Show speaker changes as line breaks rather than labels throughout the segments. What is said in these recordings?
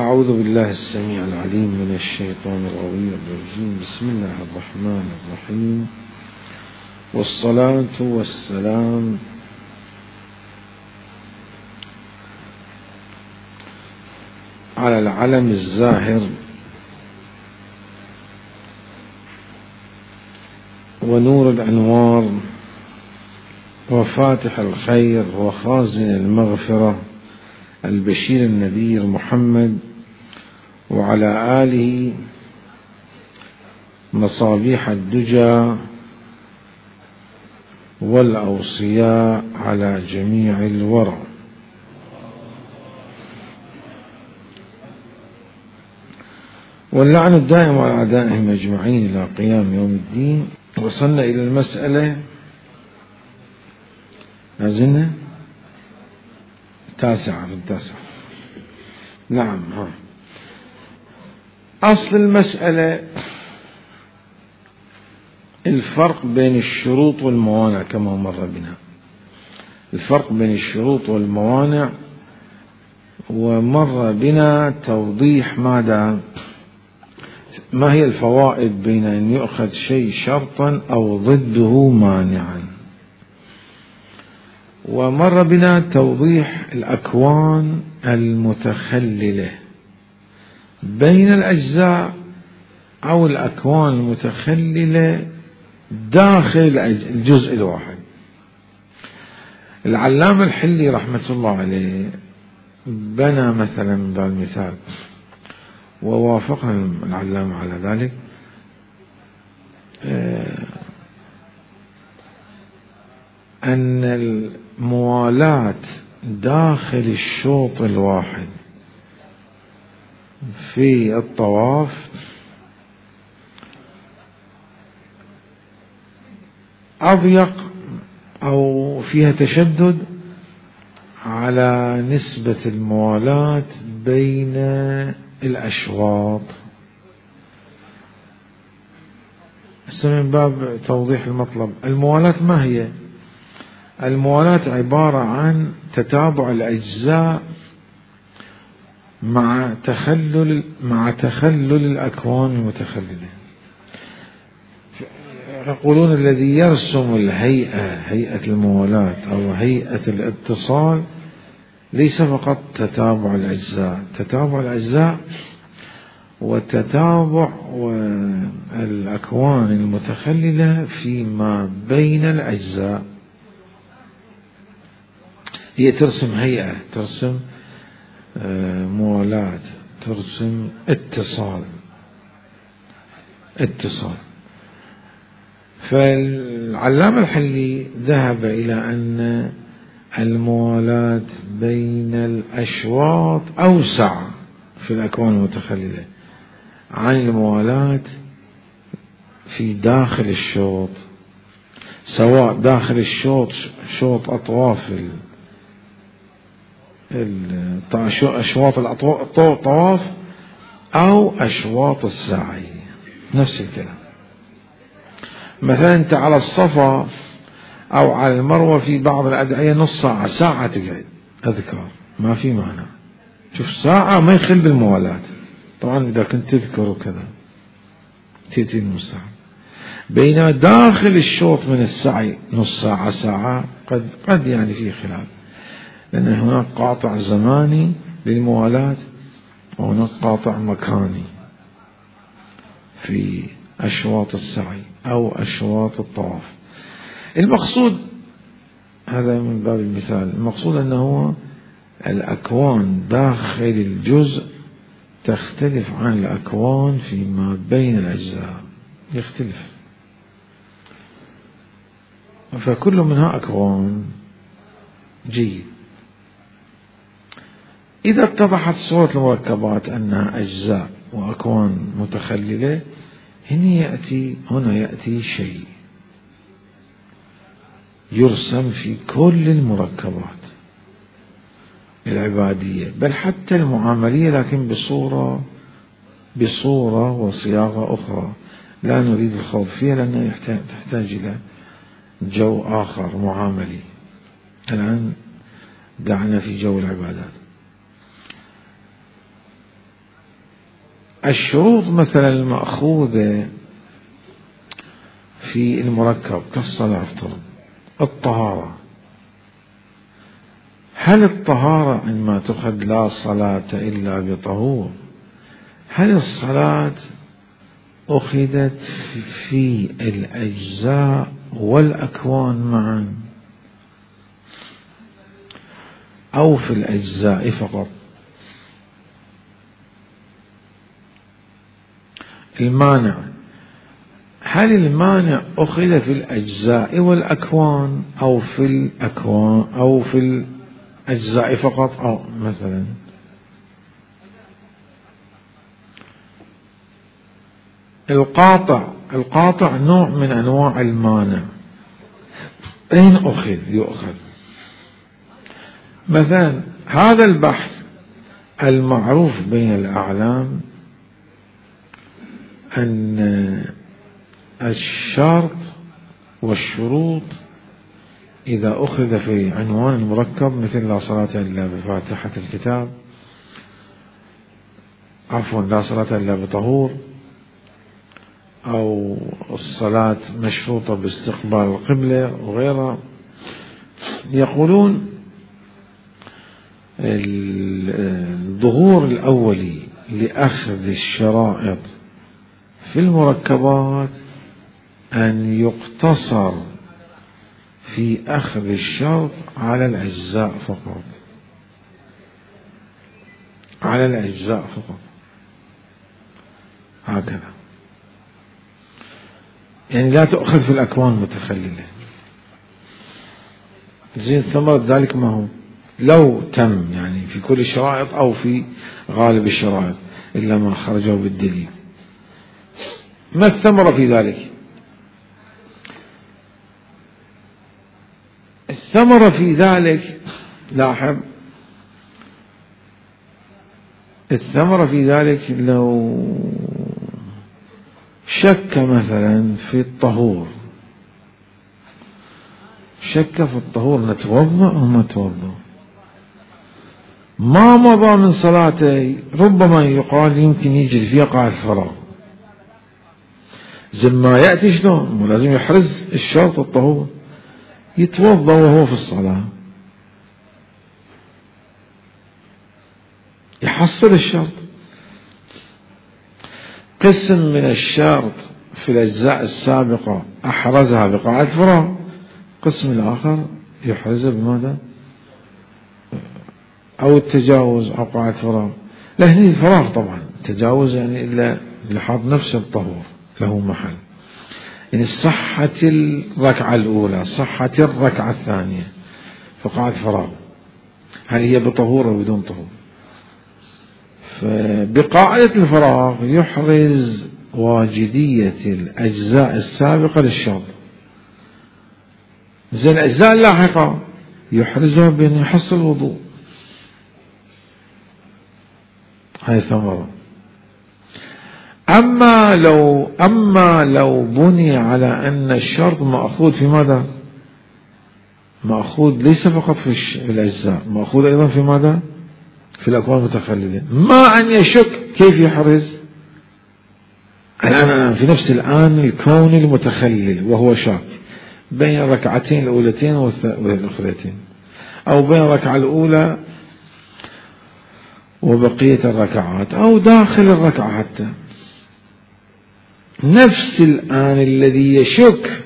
أعوذ بالله السميع العليم من الشيطان الرجيم. بسم الله الرحمن الرحيم، والصلاة والسلام على العلم الزاهر ونور الأنوار وفاتح الخير وخازن المغفرة البشير النذير محمد، وعلى آله مصابيح الدجى والأوصياء على جميع الورى. واللعن الدائم على أعدائهم أجمعين إلى قيام يوم الدين. وصلنا إلى المسألة لازلنا التاسعة. نعم. أصل المسألة الفرق بين الشروط والموانع كما مر بنا، الفرق بين الشروط والموانع، ومر بنا توضيح ما هي الفوائد بين أن يؤخذ شيء شرطا أو ضده مانعا، ومر بنا توضيح الأكوان المتخللة بين الأجزاء أو الأكوان المتخللة داخل الجزء الواحد. العلامة الحلي رحمة الله عليه بنى مثلا بالمثال، ووافقنا العلامة على ذلك، أن الموالاة داخل الشوط الواحد في الطواف أضيق أو فيها تشدد على نسبة الموالاة بين الأشواط. من باب توضيح المطلب، الموالاة ما هي؟ الموالاة عبارة عن تتابع الأجزاء مع تخلل الأكوان المتخللة. يقولون الذي يرسم هيئة الموالاة أو هيئة الاتصال ليس فقط تتابع الأجزاء وتتابع الأكوان المتخللة فيما بين الأجزاء. هي ترسم هيئة، ترسم موالاة، ترسم اتصال. فالعلامة الحلي ذهب إلى أن الموالاة بين الأشواط أوسع في الأكوان المتخللة عن الموالاة في داخل الشوط، سواء داخل الشوط شوط أطواف أشواط الطواف أو أشواط السعي، نفس الكلام. مثلا أنت على الصفا أو على المروة في بعض الأدعية نص ساعة تقعد أذكار، ما في معنى. شوف ساعة ما يخل بالموالاة، طبعا إذا كنت تذكر وكذا تأتي المستحب. بين داخل الشوط من السعي نص ساعة قد يعني في خلاف، لأن هناك قاطع زماني للموالاة وهناك قاطع مكاني في أشواط السعي أو أشواط الطواف. المقصود هذا من باب المثال، المقصود أنه الأكوان داخل الجزء تختلف عن الأكوان فيما بين الأجزاء، يختلف، فكل منها أكوان جيد. إذا اتضحت صورة المركبات أنها أجزاء وأكوان متخللة، هنا يأتي شيء يرسم في كل المركبات العبادية، بل حتى المعاملية، لكن بصورة وصياغة أخرى لا نريد الخوض فيها لأنها تحتاج إلى جو آخر معاملي. الآن دعنا في جو العبادات. الشروط مثلا المأخوذة في المركب كالصلاة افترض الطهارة، هل الطهارة عندما تؤخذ لا صلاة إلا بطهور، هل الصلاة أخذت في الأجزاء والأكوان معا أو في الأجزاء فقط؟ المانع، هل المانع أخذ في الأجزاء والأكوان أو في الأكوان أو في الأجزاء فقط؟ أو مثلا القاطع نوع من أنواع المانع، أين يؤخذ مثلا هذا البحث المعروف بين الأعلام أن الشرط والشروط إذا أخذ في عنوان المركب مثل لا صلاة إلا بفاتحة الكتاب، عفوا لا صلاة إلا بطهور، أو الصلاة مشروطة باستقبال القبلة وغيرها، يقولون الظهور الأولي لأخذ الشرائط في المركبات أن يقتصر في أخذ الشرط على الأجزاء فقط، على الأجزاء فقط، هكذا، يعني لا تؤخذ في الأكوان المتخللة. زين ثمرة ذلك ما هو؟ لو تم يعني في كل الشرائط أو في غالب الشرائط إلا ما خرجوا بالدليل، ما الثمرة في ذلك؟ الثمرة في ذلك، لاحظ، الثمرة في ذلك لو شك مثلا في الطهور، شك في الطهور نتوضأ أو ما نتوضأ، ما مضى من صلاته ربما يقال يمكن يجري فيها قاعدة الفراغ، زي ما يأتي شلون مو لازم يحرز الشرط الطهور، يتوضأ وهو في الصلاة يحصل الشرط، قسم من الشرط في الأجزاء السابقة أحرزها بقاعدة فراغ، قسم الآخر يحرزها بماذا؟ أو التجاوز أو قاعدة فراغ، لا هني الفراغ طبعا، التجاوز يعني إلا لحظ نفس الطهور له محل، يعني صحة الركعة الأولى صحة الركعة الثانية فقاعدة فراغ، هل هي بطهور أو بدون طهور؟ فبقاعدة الفراغ يحرز واجدية الأجزاء السابقة للشرط، زين الأجزاء اللاحقة يحرزها بأن يحصل الوضوء، هاي ثمرة. أما لو بني على أن الشرط مأخوذ في ماذا؟ مأخوذ ليس فقط في الأجزاء، مأخوذ أيضا في ماذا؟ في الأكوان المتخللة، ما أن يشك كيف يحرز الآن في نفس الآن الكون المتخلل وهو شاك بين الركعتين الأولتين والأخرتين، أو بين الركعة الأولى وبقية الركعات، أو داخل الركعة حتى، نفس الآن الذي يشك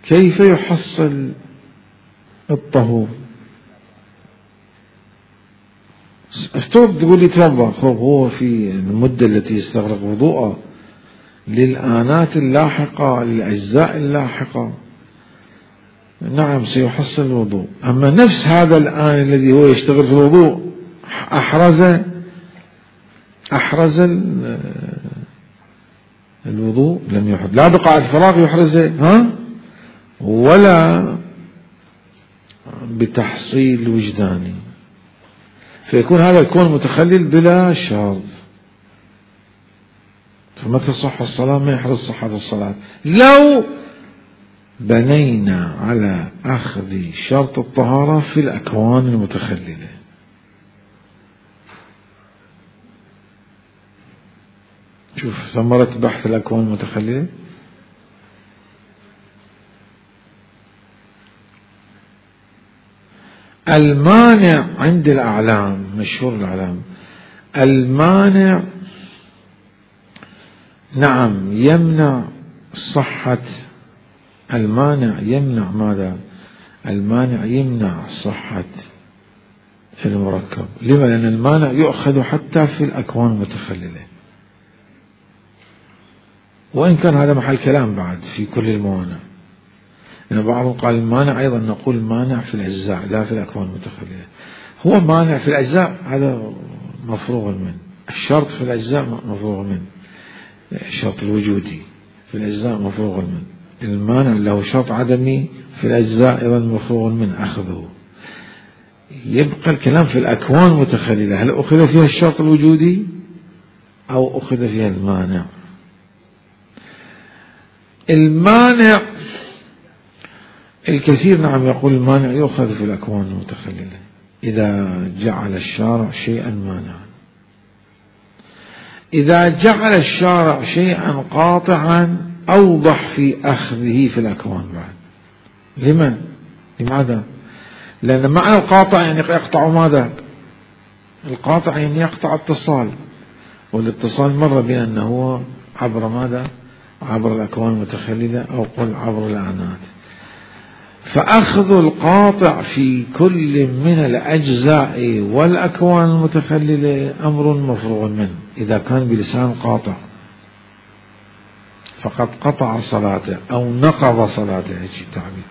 كيف يحصل الطهور، افترض تقول لي توضأ، هو في المدة التي يستغرق وضوءه للآنات اللاحقة للأجزاء اللاحقة نعم سيحصل الوضوء، أما نفس هذا الآن الذي هو يشتغل في الوضوء أحرز الوضوء لم يحرز، لا بقاعدة فراغ يحرزه ولا بتحصيل وجداني، فيكون هذا الكون متخلل بلا شرط، فمتى تصح الصلاة ما يحرز صحة الصلاة. لو بنينا على أخذ شرط الطهارة في الأكوان المتخللة، شوف ثمرة بحث الأكوان المتخللة. المانع عند الأعلام، مشهور الأعلام، المانع نعم يمنع صحة، المانع يمنع ماذا؟ المانع يمنع صحة المركب. لما؟ لأن المانع يؤخذ حتى في الأكوان المتخللة، وإن كان هذا محل كلام بعد في كل الموانع، لأن بعضهم قال المانع أيضا نقول مانع في الأجزاء لا في الأكوان المتخللة. هو مانع في الأجزاء هذا مفروغ منه، الشرط في الأجزاء مفروغ منه، الشرط الوجودي في الأجزاء مفروغ منه، المانع له شرط عدمي في الأجزاء أيضا مفروغ منه أخذه. يبقى الكلام في الأكوان المتخللة، هل أخذ فيها الشرط الوجودي أو أخذ فيها المانع؟ المانع الكثير نعم يقول المانع يؤخذ في الأكوان المتخللة إذا جعل الشارع شيئا مانعا، إذا جعل الشارع شيئا قاطعا أوضح في أخذه في الأكوان بعد. لماذا؟ لأن معنى القاطع يعني يقطع ماذا؟ القاطع يعني يقطع اتصال، والاتصال مر بنا أنه هو عبر ماذا؟ عبر الأكوان المتخللة أو قل عبر الأعنات. فأخذ القاطع في كل من الأجزاء والأكوان المتخللة أمر مفروغ منه إذا كان بلسان قاطع، فقد قطع صلاته أو نقض صلاته، هيك التعبير،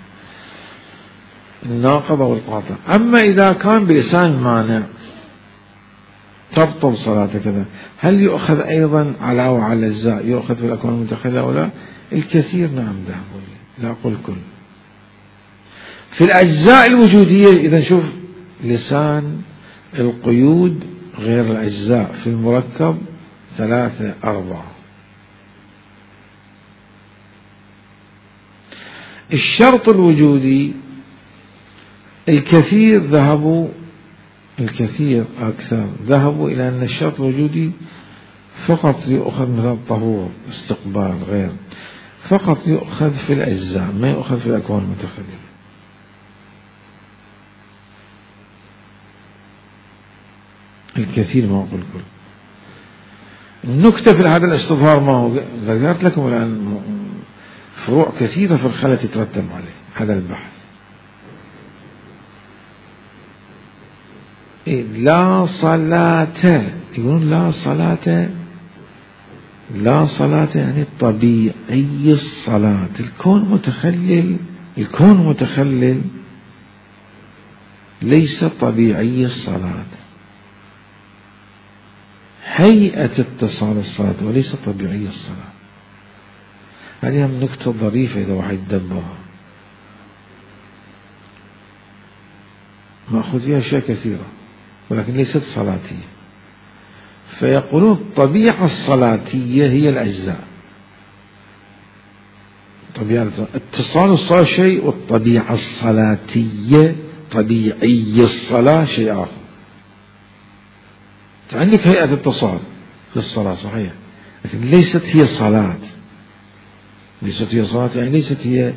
الناقض والقاطع. أما إذا كان بلسان مانع تبطل صلاته كذا، هل يؤخذ أيضا علاوة على الأجزاء، يؤخذ في الأكوان المتخللة أو لا؟ الكثير نعم ذهبوا، لا أقول كل. في الأجزاء الوجودية إذا شوف لسان القيود غير الأجزاء في المركب 3 4. الشرط الوجودي الكثير ذهبوا، الكثير أكثر ذهبوا إلى أن الشرط الوجودي فقط يؤخذ مثل الطهور استقبال غير، فقط يؤخذ في الأجزاء ما يؤخذ في الأكوان المتخللة. الكثير ما أقول كل. النكتة في هذا الاستظهار ما هو؟ ذكرت لكم الآن فروع كثيرة في الخلل تترتب عليه هذا البحث. لا صلاة، يقولون لا صلاة، لا صلاة يعني طبيعي الصلاة. الكون متخلل، الكون متخلل ليس طبيعي الصلاة، هيئة اتصال الصلاة وليس طبيعي الصلاة. هذه نكتة ظريفة إذا واحد يدبرها، مأخذ فيها أشياء كثيرة ولكن ليست صلاتية. فيقولون الطبيعة الصلاتية هي الأجزاء، طبيعة اتصال الصلاة شيء، والطبيعة الصلاتية طبيعي الصلاة شيء آخر. عندك هيئة اتصال للصلاة صحيح، لكن ليست هي صلاة، ليست هي صلاة يعني ليست هي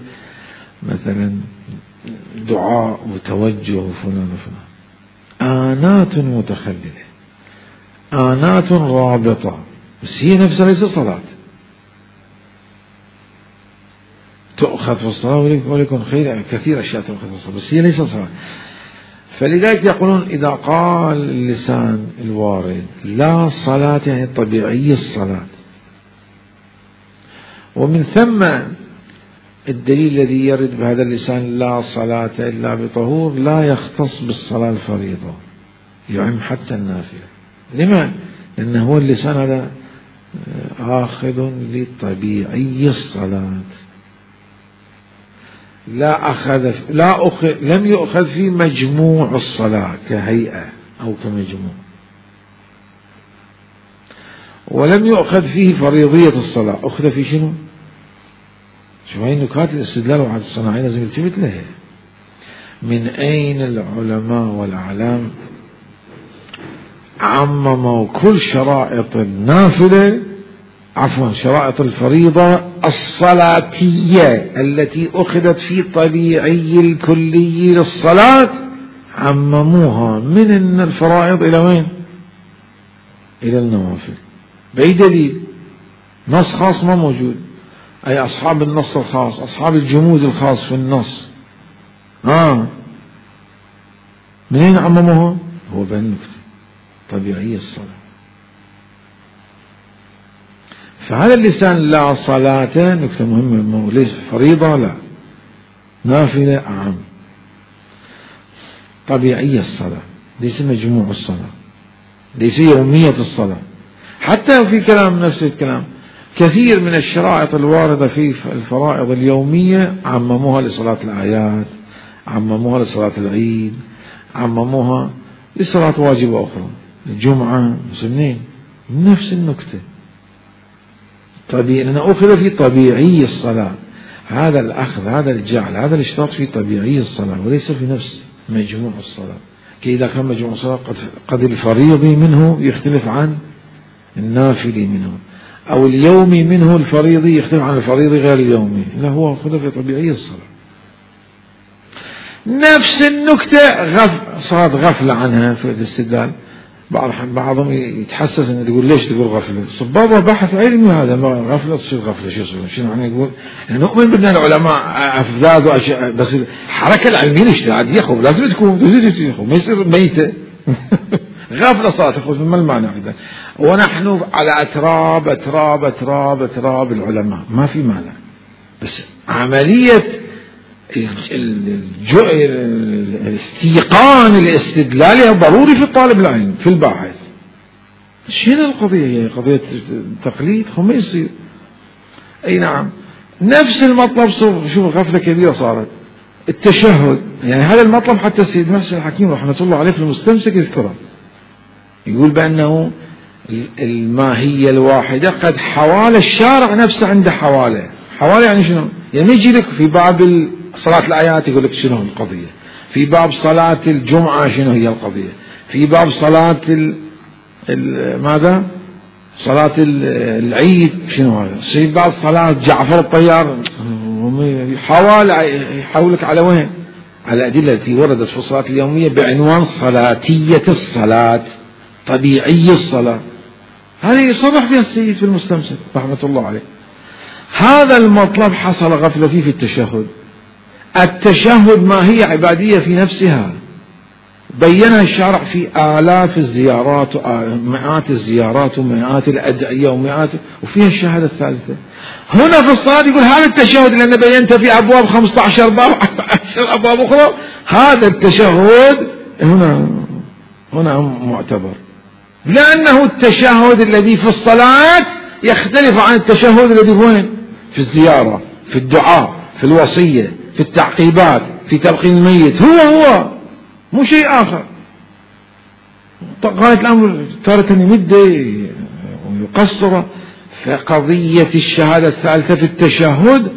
مثلا دعاء وتوجه وفلان وفلان. آنات متخللة، آنات رابطة، بس هي نفسها ليست صلاة، تؤخذ في الصلاة وليكن خير كثير أشياء تؤخذ في الصلاة بس هي ليست صلاة. فلذلك يقولون إذا قال اللسان الوارد لا صلاة يعني طبيعي الصلاة، ومن ثم الدليل الذي يرد بهذا اللسان لا صلاة إلا بطهور لا يختص بالصلاة الفريضة، يعم حتى النافلة. لما؟ لأنه هو اللسان هذا آخذ لطبيعي الصلاة، لم يؤخذ في مجموع الصلاة كهيئة أو كمجموع، ولم يؤخذ فيه فريضية الصلاة. أخذ في شنو؟ شو هاي نكات الاستدلال وعد الصناعي لازم يلتفت لها. من أين العلماء والأعلام عمموا كل شرائط النافلة عفوا شرائط الفريضة الصلاتية التي أخذت في طبيعي الكلي للصلاة عمموها من الفرائض إلى وين؟ إلى النوافل. بأي دليل؟ نص خاص ما موجود. أي أصحاب النص الخاص، أصحاب الجمود الخاص في النص، منين عمموها؟ هو بهالنكتة طبيعية الصلاة. فهذا اللسان لا صلاة نكتة مهمة، ليس فريضة لا، نافلة أعم، طبيعية الصلاة، ليس مجموع الصلاة، ليس يومية الصلاة. حتى في كلام نفس الكلام كثير من الشرائط الواردة في الفرائض اليومية عمموها لصلاة الأعياد، عمموها لصلاة العيد، عمموها لصلاة واجبة أخرى، الجمعة، مسلمين، نفس النكتة. طبيعي، لأنه أخذ في طبيعي الصلاة. هذا الأخذ، هذا الجعل، هذا الاشتراط في طبيعي الصلاة وليس في نفس مجموع الصلاة. كإذا كان مجموع الصلاة قد الفريضي منه يختلف عن النافلي منه، أو اليومي منه الفريضي يختلف عن الفريضي غير اليومي، لا هو أخذ في طبيعي الصلاة. نفس النكتة صارت غفلة عنها في الاستدلال. بعضهم يتحسس انه تقول ليش تقول غفلة؟ صبابة بحث علمي هذا، ما غفلة تصير غفلة، شو معنى يقول؟ نؤمن بأن العلماء أفذاذ وأشياء، بس الحركة العلمية الاجتهادية خب لازم تكون، ما يصير ميتة. غفلة صارت تخرج، ما المعنى في ذلك؟ ونحن على أتراب أتراب أتراب أتراب العلماء، ما في معنى، بس عملية الاستيقان الاستدلالي ضروري في الطالب العلم في الباحث. شنو القضية؟ هي قضية تقليد، ما يصير. أي نعم، نفس المطلب شوف غفلة كبيرة صارت التشهد. يعني هذا المطلب حتى السيد محسن الحكيم رحمة الله عليه في المستمسك يذكره، يقول بأنه الماهية الواحدة قد حوالى الشارع نفسه عنده حوالة. حوالة يعني شنو؟ يعني يجي لك في باب صلاة الآيات يقول لك شنو القضية، في باب صلاة الجمعة شنو هي القضية، في باب صلاة ماذا؟ صلاة العيد شنو هذا، في باب صلاة جعفر الطيار. يحولك على وين؟ على الأدلة التي وردت في الصلاة اليومية بعنوان صلاتية الصلاة، طبيعي الصلاة. هذه يصرح فيها السيد في المستمسك رحمة الله عليه. هذا المطلب حصل غفلة فيه في التشهد. التشهد ما هي عبادية في نفسها، بينها الشارع في آلاف الزيارات ومئات الزيارات ومئات الأدعية وفيها الشهادة الثالثة. هنا في الصلاة يقول هذا التشهد لأن بينت في أبواب 15 باب 10 أبواب أخرى، هذا التشهد هنا معتبر، لأنه التشهد الذي في الصلاة يختلف عن التشهد الذي وين؟ في الزيارة، في الدعاء، في الوصية، في التعقيبات، في تلقين الميت، هو مو شيء آخر. غاية الأمر تارة يمده ويقصر. فقضية الشهادة الثالثة في التشهد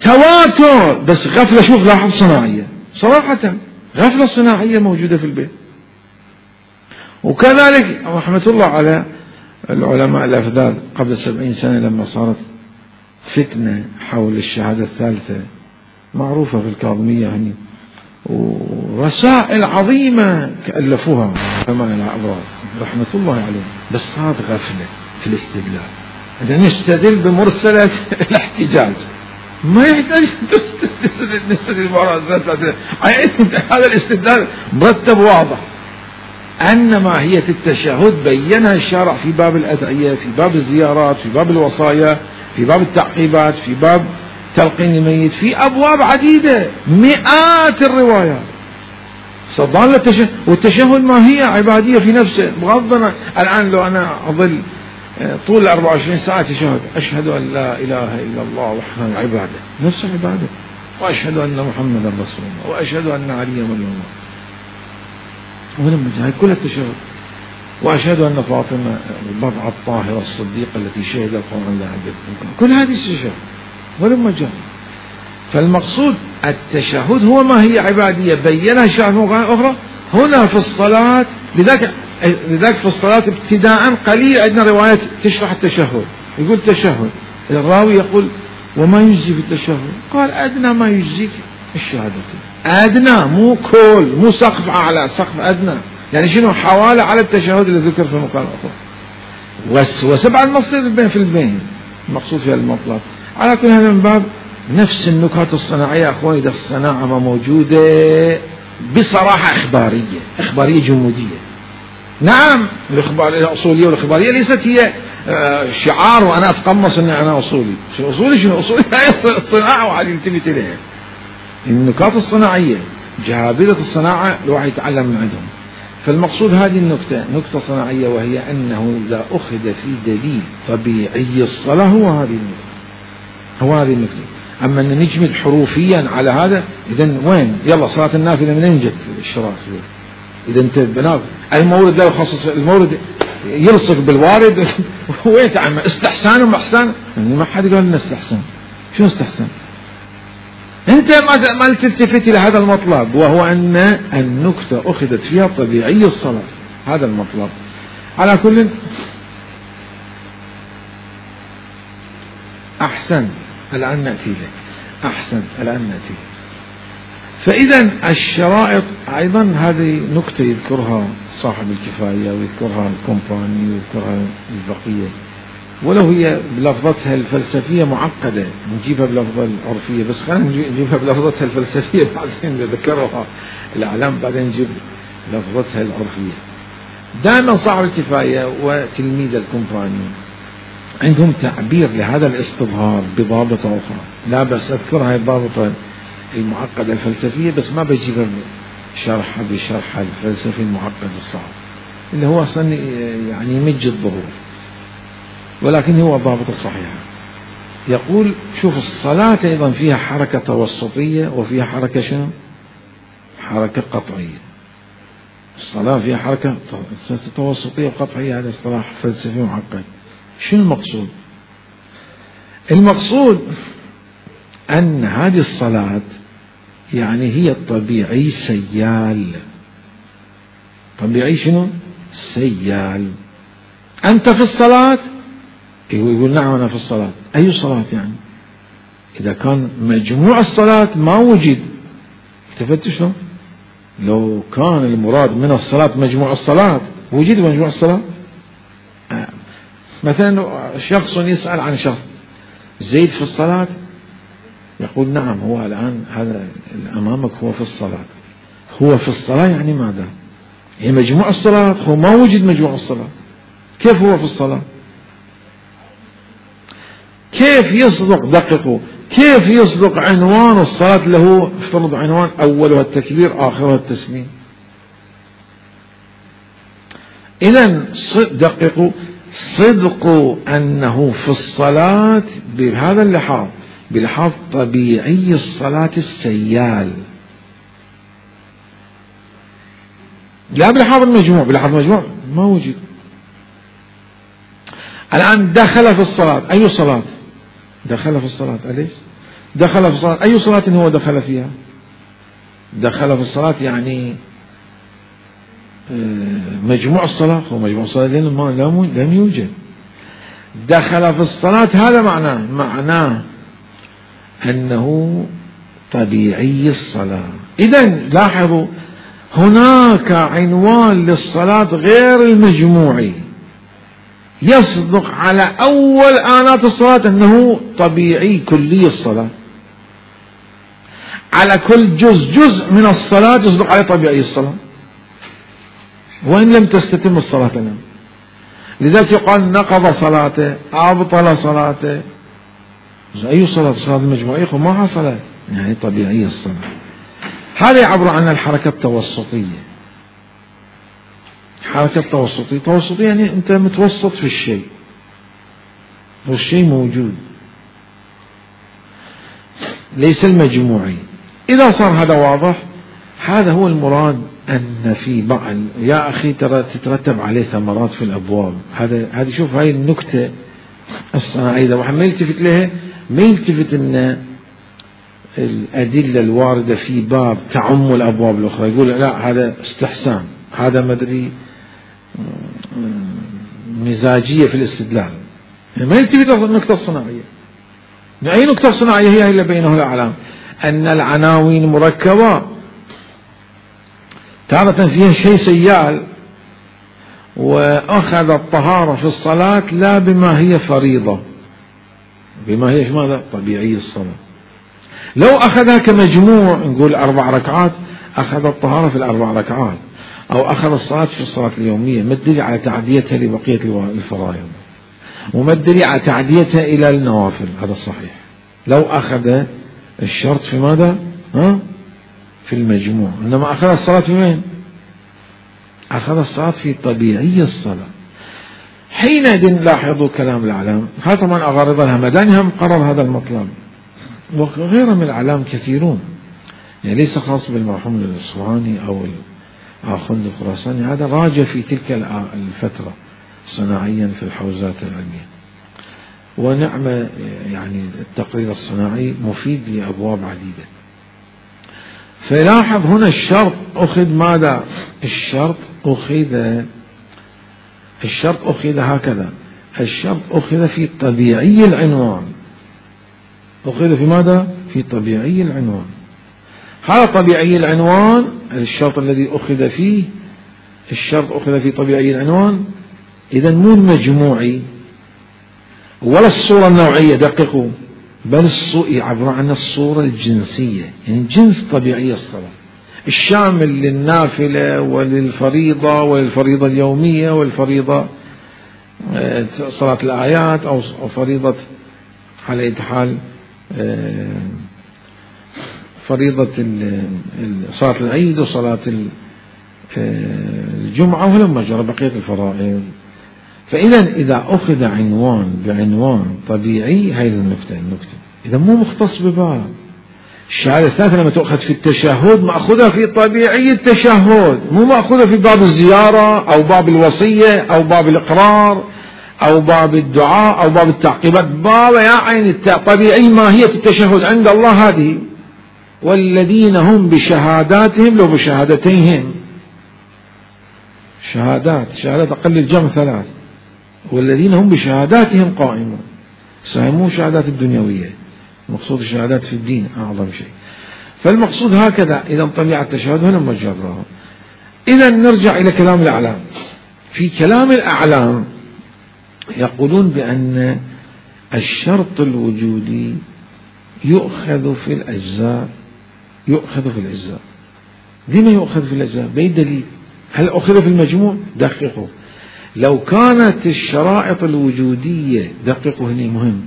تواتر، بس غفلة، شوف لاحظ صناعية، صراحة غفلة صناعية موجودة في البيت. وكذلك رحمة الله على العلماء الأفذاذ قبل 70 سنة لما صارت فتنة حول الشهادة الثالثة معروفة في الكاظمية يعني، ورسائل عظيمة كألفوها علماء الأبرار رحمة الله عليهم، بس صارت غفلة في الاستدلال. إذا نستدل بمرسلة الاحتجاج ما يحتاج نستدل هذا الاستدلال مرتب واضح. أن ماهية التشهد بينها الشارع في باب الأدعية، في باب الزيارات، في باب الوصايا، في باب التعقيبات، في باب تلقين الميت، في أبواب عديدة، مئات الروايات. صدان للتشهد، والتشهد ما هي عبادية في نفسه. بغض الآن لو أنا أظل طول 24 ساعة تشهد، أشهد أن لا إله إلا الله وحده، عبادة، نفس عبادة، وأشهد أن محمدا رسول الله، وأشهد أن عليا ولي الله، ولما هاي كلها التشهد، وأشهد أن فاطمة البضعة الطاهرة الصديقة التي شهد القرآن لها بالقرآن، كل هذه التشهد ولما جاء. فالمقصود التشهد هو ما هي عبادية بينها الشرع في مقام أخرى. هنا في الصلاة لذلك في الصلاة ابتداء قليل عندنا روايات تشرح التشهد، يقول تشهد، الراوي يقول وما يجزي في التشهد؟ قال أدنى ما يجزيك الشهادتين، أدنى مو كل، مو سقف أعلى، سقف أدنى. يعني شنو؟ حوالة على التشهد اللي ذكر في مقام أخر، وسبع المصير في البين المقصود في المطلب. على كل هذا من باب نفس النكات الصناعية أخواني، ده الصناعة ما موجودة بصراحة إخبارية جمودية. نعم الإخبار الأصولية والإخبارية ليست هي شعار وأنا أتقمص أني أنا أصولي. شنو أصولي هي الصناعة وعلي يلتفت إليها. النكات الصناعية جهابذة الصناعة الواحد يتعلم من عندهم. فالمقصود هذه النكتة نكتة صناعية، وهي أنه إذا أخذ في دليل طبيعي الصلاة هو هذه النكتة. أما أن نجمد حروفيا على هذا، إذن وين يلا صلاة النافلة منين جت الشراط؟ إذا أنت بناء المورد لا يخصص، المورد يلصق بالوارد وين تعمل استحسان ومحسان؟ يعني ما حد قال لنا استحسان. شو استحسان؟ أنت ما تلتفت إلى هذا المطلب، وهو أن النكتة أخذت فيها طبيعي الصلاة، هذا المطلب. على كل أحسن الآن نأتي له، فإذا الشرائط أيضا هذه نكتة يذكرها صاحب الكفاية ويذكرها الكومباني ويذكرها البقية، ولو هي بلفظتها الفلسفية معقدة نجيبها بلفظة العرفية، بس خلينا نجيبها بلفظتها الفلسفية بعدين ذكرها الأعلام، بعدين نجيب لفظتها العرفية. دائما صاحب الكفاية وتلميذ الكومباني عندهم تعبير لهذا الاستظهار بضابطة أخرى، لا بس أذكرها الضابطة المعقدة الفلسفية، بس ما بجيبها شرحها بشرح الفلسفي المعقد الصعب اللي هو أصلا يعني يمج الظهور، ولكن هو ضابطة صحيحة. يقول شوف الصلاة أيضا فيها حركة توسطية وفيها حركة شنو؟ حركة قطعية. الصلاة فيها حركة توسطية وقطعية، هذا اصطلاح فلسفي معقد. شنو المقصود؟ المقصود أن هذه الصلاة يعني هي الطبيعي سيال. طبيعي شنو؟ سيال. أنت في الصلاة؟ يقول نعم أنا في الصلاة. أي صلاة يعني؟ إذا كان مجموع الصلاة ما وجد، التفت شنو؟ لو كان المراد من الصلاة مجموع الصلاة، وجد مجموع الصلاة؟ مثلا شخص يسأل عن شخص، زيد في الصلاة؟ يقول نعم هو الآن هذا أمامك هو في الصلاة. هو في الصلاة يعني ماذا؟ هي مجموع الصلاة، هو ما وجد مجموع الصلاة، كيف هو في الصلاة؟ كيف يصدق؟ دققوا، كيف يصدق عنوان الصلاة له افترض عنوان أولها التكبير آخرها التسليم؟ إذن دققوا، صدق أنه في الصلاة بهذا اللحاظ، بلحاظ طبيعي الصلاة السيال، لا بلحاظ المجموع. بلحاظ المجموع ما وجد. الآن دخل في الصلاة، أي صلاة؟ دخل في الصلاة، أليس؟ دخل في الصلاة، أي صلاة هو دخل فيها؟ دخل في الصلاة يعني مجموع الصلاة، هو مجموع الصلاة لم يوجد. دخل في الصلاة هذا معناه أنه طبيعي الصلاة. إذن لاحظوا هناك عنوان للصلاة غير المجموعي يصدق على أول آنات الصلاة أنه طبيعي كلي الصلاة، على كل جزء من الصلاة يصدق على طبيعي الصلاة، وإن لم تستتم الصلاة لنا. لذلك يقال نقض صلاته، أبطل صلاته. أي صلاة؟ صلاة المجموعية ما حصلت، يعني طبيعية الصلاة. هذا يعبر عن الحركة التوسطية. حركة توسطية يعني أنت متوسط في الشيء والشيء موجود، ليس المجموعي. إذا صار هذا واضح، هذا هو المراد، أن في بعض يا أخي ترى تترتب عليه ثمرات في الأبواب. هذه شوف هاي النكتة الصناعية، إذا واحد ما يلتفت لها، ما يلتفت أن الأدلة الواردة في باب تعم الأبواب الأخرى، يقول لا هذا استحسان، هذا مدري مزاجية في الاستدلال، ما يلتفت النكتة الصناعية. أي نكتة صناعية هي اللي بينه الأعلام؟ أن العناوين مركبة، تارة فيها شيء سيال، وأخذ الطهارة في الصلاة لا بما هي فريضة، بما هي ماذا؟ طبيعي الصلاة. لو أخذها كمجموع نقول 4 ركعات، أخذ الطهارة في ال4 ركعات، أو أخذ الصلاة في الصلاة اليومية، ما الدليل على تعديتها لبقية الفرائض، وما الدليل على تعديتها إلى النوافل؟ هذا صحيح. لو أخذ الشرط في ماذا؟ في المجموع. إنما أخذ الصلاة في وين؟ أخذ الصلاة في طبيعي الصلاة. حينئذ لاحظوا كلام الأعلام، هذا طبعا أغارض الهمداني قرر هذا المطلب، وغيره من الأعلام كثيرون، يعني ليس خاص بالمرحوم الإصفهاني أو آخوند الخراساني، هذا راجع في تلك الفترة صناعيا في الحوزات العلمية. ونعم يعني التقرير الصناعي مفيد لأبواب عديدة. فلاحظ هنا الشرط أخذ ماذا؟ الشرط أخذ هكذا، الشرط أخذ في طبيعي العنوان، أخذ في ماذا؟ في طبيعي العنوان. هذا طبيعي العنوان، الشرط الذي أخذ فيه، الشرط أخذ في طبيعي العنوان، إذا مو المجموعي ولا الصورة النوعية، دققوا، بل عبر عن الصورة الجنسية، يعني جنس طبيعي الصلاة الشامل للنافلة وللفريضة وللفريضة اليومية والفريضة صلاة الآيات أو فريضة على أي حال فريضة صلاة العيد وصلاة الجمعة ولما جرى بقية الفرائض. فإذا إذا أخذ عنوان بعنوان طبيعي، هذه النكتة إذا مو مختص بباب. الشهادة الثالثة لما تأخذ في التشهد مأخذها في طبيعي التشهد، مو مأخذها في باب الزيارة أو باب الوصية أو باب الإقرار أو باب الدعاء أو باب التعقيبات، باب يعني طبيعي ماهية التشهد عند الله هذه. والذين هم بشهاداتهم لو بشهادتيهم، شهادات أقل الجمع 3، والذين هم بشهاداتهم قائمون، مو شهادات الدنيوية، المقصود الشهادات في الدين أعظم شيء. فالمقصود هكذا. إذا طبيعة التشهد هنا مجرها. إذا نرجع إلى كلام الأعلام. في كلام الأعلام يقولون بأن الشرط الوجودي يؤخذ في الأجزاء، لما يؤخذ في الأجزاء؟ بأي دليل؟ هل أخذ في المجموع؟ دققوا، لو كانت الشرائط الوجودية، دققوا هنا مهم،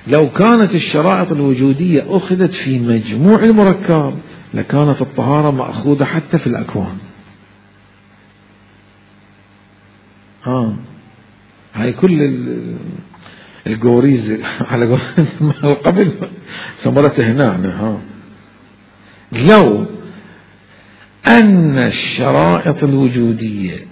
لو كانت الشرائط الوجودية أخذت في مجموع المركب لكانت الطهارة مأخوذة حتى في الأكوان. هاي كل الجوريز على قبل ثمرته هنا. لو أن الشرائط الوجودية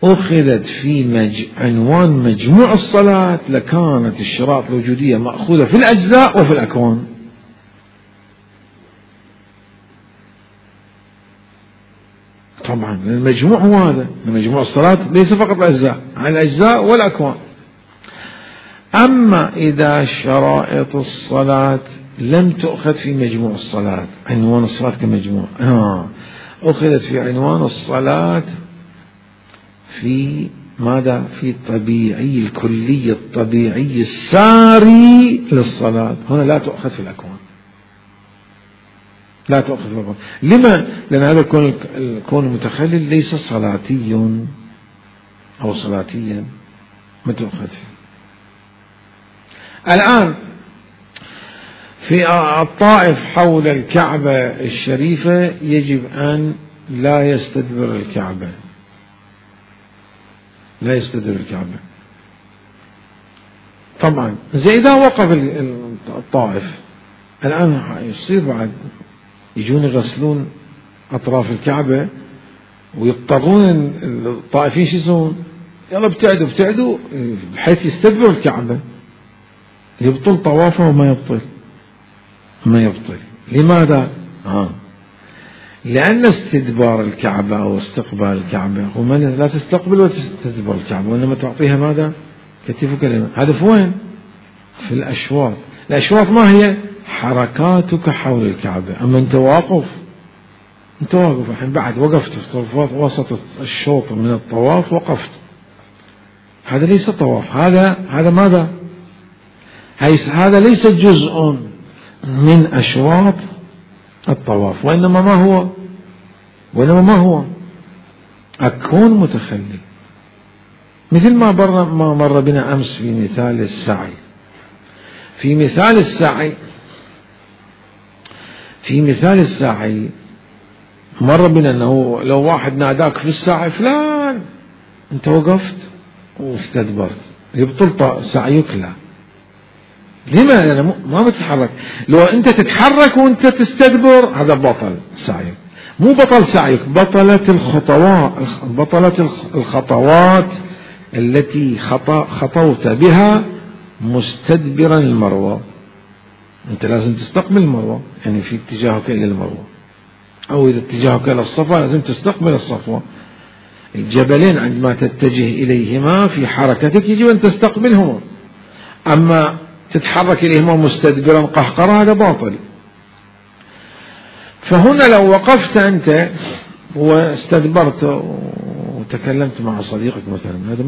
أخذت في عنوان مجموع الصلاة لكانت الشرائط الوجودية مأخوذة في الأجزاء وفي الأكوان. طبعا المجموع هو هذا، مجموع الصلاة ليس فقط الأجزاء، عن الأجزاء والأكوان. أما إذا شرائط الصلاة لم تؤخذ في مجموع الصلاة، عنوان الصلاة كمجموع، أخذت في عنوان الصلاة في ماذا؟ في طبيعي الكلي الطبيعي الساري للصلاة، هنا لا تؤخذ في الأكوان، لا تؤخذ في الأكوان. لما؟ لأن هذا الكون المتخلل ليس صلاتي أو صلاتيا، ما تؤخذ فيه. الآن في الطائف حول الكعبة الشريفة يجب أن لا يستدبر الكعبة، لا يستدبر الكعبة. طبعا زي إذا وقف الطائف الآن يصير بعد يجون يغسلون أطراف الكعبة ويضطرون الطائفين شو يسوون؟ يلا ابتعدوا بحيث يستدبر الكعبة، يبطل طوافه وما يبطل، ما يبطل. لماذا؟ لأن استدبار الكعبة أو استقبال الكعبة هو لا تستقبل ولا تستدبر الكعبة، وإنما تعطيها ماذا؟ كتف وكلمة. هذا في وين؟ في الأشواط. الأشواط ما هي؟ حركاتك حول الكعبة. أما أنت واقف الحين بعد وقفت في وسط الشوط من الطواف، وقفت، هذا ليس طواف، هذا ماذا؟ هذا ليس جزء من أشواط الطواف، وإنما ما هو أكون متخلل، مثل ما مر بنا أمس في مثال السعي. في مثال السعي مر بنا أنه لو واحد ناداك في السعي فلان، أنت وقفت واستدبرت، يبطل سعيك؟ لا. لما؟ لأنه ما بتتحرك. لو أنت تتحرك وأنت تستدبر هذا بطل سعيك، مو بطل سعيك، بطلت الخطوات التي خطوت بها مستدبرا المروة. أنت لازم تستقبل المروة، يعني في اتجاهك إلى المروة، أو إذا اتجاهك إلى الصفا لازم تستقبل الصفوة. الجبلين عندما تتجه إليهما في حركتك يجب أن تستقبلهما، أما تتحرك إليهما مستدبرا قهقرا هذا باطل. فهنا لو وقفت أنت واستدبرت وتكلمت مع صديقك مثلا، هذا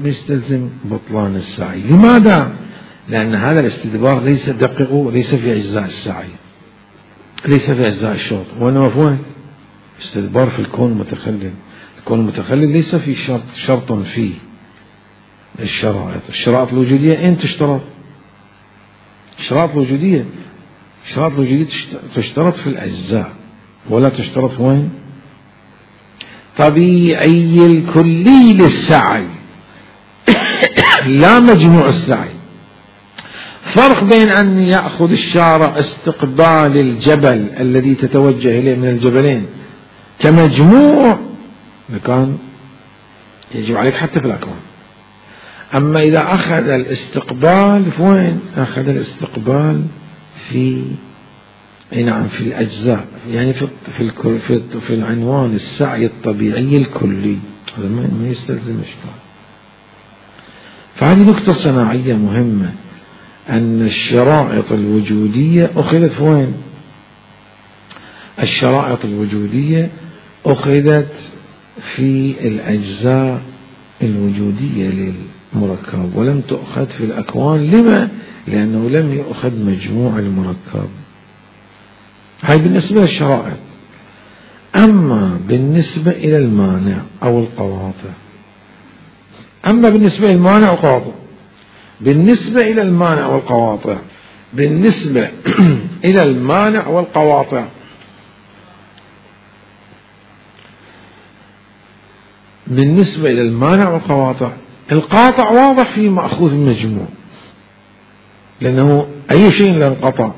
ما يستلزم بطلان السعي. لماذا؟ لأن هذا الاستدبار ليس دقيق، ليس في أجزاء السعي، ليس في أجزاء الشوط، وإنما فيه استدبار في الكون المتخلل. الكون المتخلل ليس في شرط فيه الشرائط الوجودية. أين تشترط؟ الشرائط الوجودية تشترط في الأجزاء، ولا تشترط وين؟ طبيعي الكلي للسعي لا مجموع السعي. فرق بين أن يأخذ الشارع استقبال الجبل الذي تتوجه إليه من الجبلين كمجموع، كان يجب عليك حتى في الأكوان. أما إذا أخذ الاستقبال فوين؟ أخذ الاستقبال في في الأجزاء، يعني في العنوان السعي الطبيعي الكلي، هذا ما يستلزم إشكال. فهذه نقطة صناعية مهمة، أن الشرائط الوجودية أخذت وين؟ الشرائط الوجودية أخذت في الأجزاء الوجودية للمركب، ولم تؤخذ في الأكوان. لما؟ لأنه لم يؤخذ مجموع المركب. هاي بالنسبة للشرائط. أما بالنسبة إلى المانع أو القواطع، بالنسبة إلى المانع والقواطع، بالنسبة إلى المانع والقواطع، القاطع واضح في مأخوذ المجموع، لأنه أي شيء لا انقطع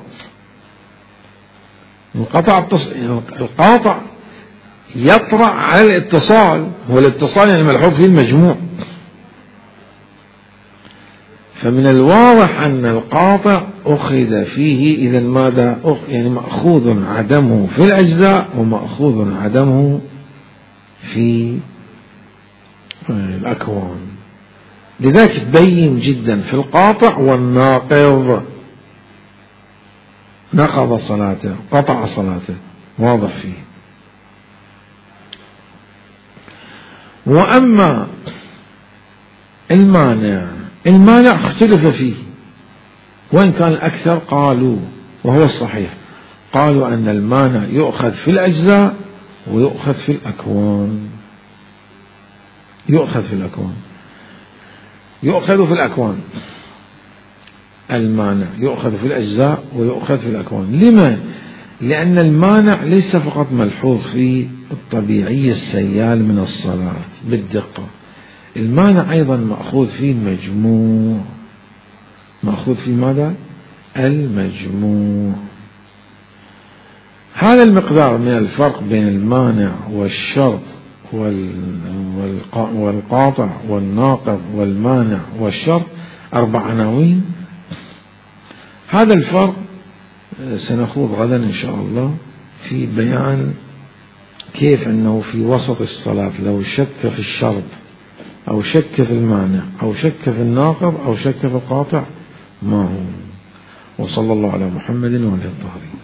القاطع يطرأ على الاتصال، والاتصال يعني ملحوظ فيه المجموع. فمن الواضح أن القاطع أخذ فيه إذا ماذا؟ يعني مأخوذ عدمه في الأجزاء ومأخوذ عدمه في الأكوان. لذلك تبين جدا في القاطع والناقض، نقض صلاته، قطع صلاته، واضح فيه. وأما المانع اختلف فيه، وإن كان الأكثر قالوا، وهو الصحيح، قالوا أن المانع يؤخذ في الأجزاء ويؤخذ في الأكوان. يؤخذ في الأكوان المانع يؤخذ في الأجزاء ويؤخذ في الأكوان. لما؟ لأن المانع ليس فقط ملحوظ في الطبيعي السيال من الصلاة بالدقة، المانع أيضا مأخوذ فيه المجموع. مأخوذ في ماذا؟ المجموع. هذا المقدار من الفرق بين المانع والشرط والقاطع والناقض والمانع والشرط 4 عناوين. هذا الفرق سنخوض غدا إن شاء الله في بيان كيف أنه في وسط الصلاة لو شك في الشرط أو شك في المانع أو شك في الناقض أو شك في القاطع ما هو. وصلى الله على محمد وعلى الطاهرين.